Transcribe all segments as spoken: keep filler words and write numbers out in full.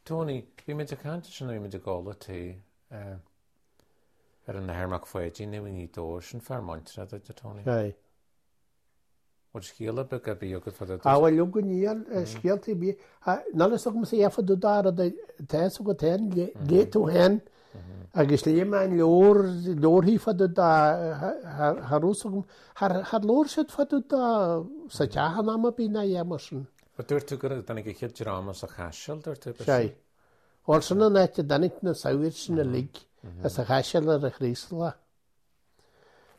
Tony, bhí muid ag caint sin bhí muid ag ól tae eh, ar an Athair Mac Pháidín i nGaoth Dobhair sin fear muinteartha duit, a Tony. Aye. Bhfuil scéal ar bith a bhí agat fá A bhfuil go níl scéalta bí Ná is agam sé fa do dar tá go ten lé tú hen agus lé an leor leorthaí fa do tharús agam thar leor siad fa do sa teach am bí na é mar sin. Ba dúirt tú gur tháinig an chéad dream as an Chaiseal dúirt tú Sé. Bhuel sin an áit a dtáinig na sagairt sin uilig as an Chaiseal ar an Chraoslach.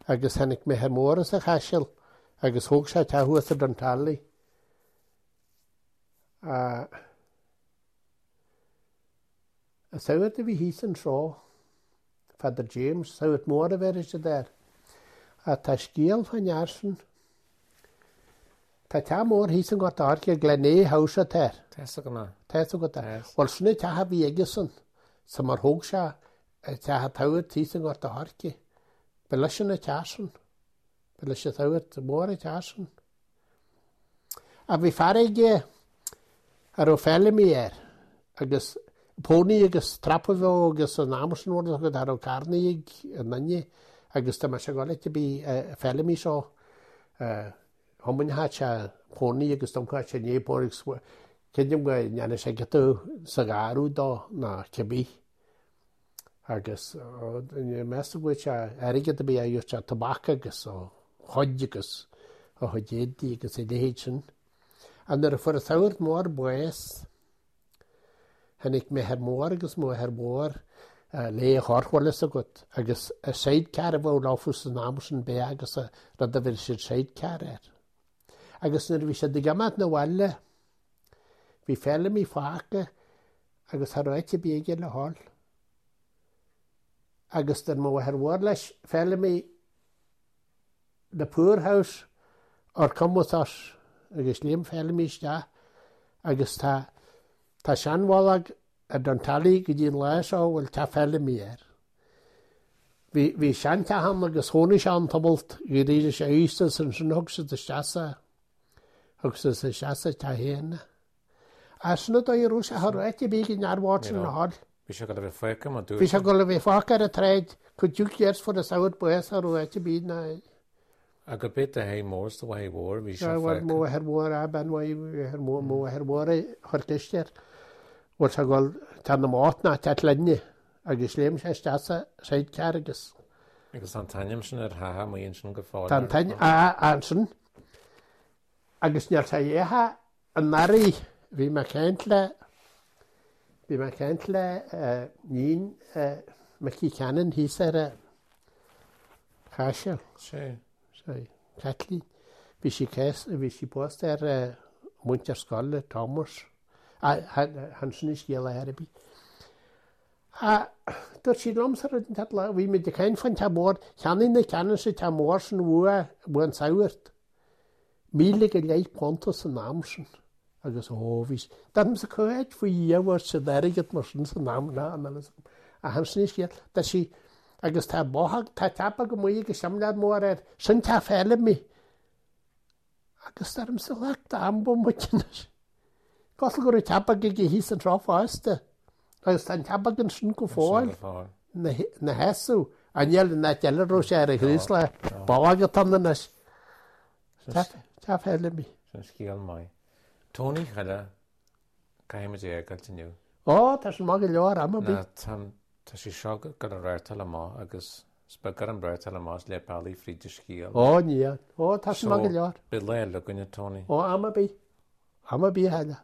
Agus tháinig m'athair mór as an Chaiseal agus thóg sé teach thuas i Duntarley. An sagart a bhí thíos anseo, Father James, sagart mór a bheireadh siad air. Ach tá scéal fán fhear sin. Tá teach mór thíos i nGort an Choirce, Glenea House atá air. Tá fhios agam é. Tá fhios agat é. Yes. Bhuel sin an teach a bhí aigesan, sa mar thóg sé teach an tsagairt thíos i nGort an Choirce. Ba leis an teach sin. Ba leis an sagart mór an teach sin. Ach bhí fear aige a raibh Feilimí air agus pony agus trap a bheadh agus an am sin rud agat a raibh carnaí ag an nduine agus tá mé sé gáil a bhí Feilimí seo thiomáinfeadh sé pony agus d'iompódh sé ní pony agus creidim go ndéanadh sé giota sa gharradh dó ná cibé. Agus meas tú go bhfuil sé airgead a bhí a sé tobac agus ó chuid agus ó chuid éadaí agus a leithéid sin. A nuair a fuair an sagart mór bás, tháinig m'athair mór agus m'athair mhór le a chorp bhfuil fhios agat agus a sidecar a bheadh leofa san am sin b'é agus a rud a bhí siad sidecar air. Agus nuair a bhí siad ag imeacht na bhaile, bhí Feilimí fágtha agus cha raibh áit ar bith aige le dhul. Agus d'fhan mo mháthair mhór leis, Feilimí, the poorhouse or come with us agus léim Feilimí isteach agus tá tá seanbhallach ar Duntarley go dtí an lá seo bhfuil teach Feilimí air. Bhí bhí seanteach ann agus chónaigh sé ann tamalt go dtí sé aosta ansin thug siad isteach sa thug siad isteach sa teach féin. A sin a dóigh a raibh sé cha raibh áit ar bith ag an fhear bhocht sin le dhul. Bhí sé go bheith fágtha mar dúirt Bhí sé go bheith fágtha ar an tsráid cuid dúch years fuair an sagart bás cha raibh áit ar bith ná Agus b'é do athair mór is do mháthair mhór bhí sé Mo fágtha. mháthair mhór a bean mháthair mo mháthair mhór a chuir ceist air. Bhfuil sé ag dul teach na mbocht ná teach linne agus léim sé isteach sa sidecar agus Agus an t-ainm sin ar theach amuigh ansin go fóill. Tá an t-ainm ansin agus níl sé dhéatha anuraidh bhí mé ag caint le bhí mé ag caint le níon Mickey Cannon thíos ar an Chaiseal. Sé. Sé, Kathleen. Bhí sí cés bhí sí pósta ar muintir scoile Thomas. Han sin scéal ar bith. A dúirt sí liomsa rud inteacht lá, bhí muid ag caint fán teach mór, cheannaigh na Cannons an teach mór sin uaidh uaidh an sagart. Míle go leith punta san am sin. Agus ó bhí Dam sa chuid faoi dhéhar sa airgead mar sin san am ná an a han sin scéal, tá sí agus tá bóthach tá teach go amuigh agus simléar mór air, sin teach Feilimí. Agus deirim sa leacht am bo muid anois. Cosúil go raibh teach beag aige thíos anseo fosta. Agus tá an teach beag ansin go fóill na na sheasamh an níl an áit eile raibh sé ar an Chraoslach ballach atá ann anois. Teach Feilimí. Sin scéal maith. Tony Chille, caithfidh muid é a fhágáilt inniu. Ó, tá sin maith go leor am ar bith. Ná tá tá sé seo go an réirteáil amach agus is beag ar an réirteáil amach is le bealaí fríd an scéal. Ó, níl. Ó, tá sin maith go leor. Beidh lá eile againne, Tony. Ó, am ar bith. Am ar bith eile.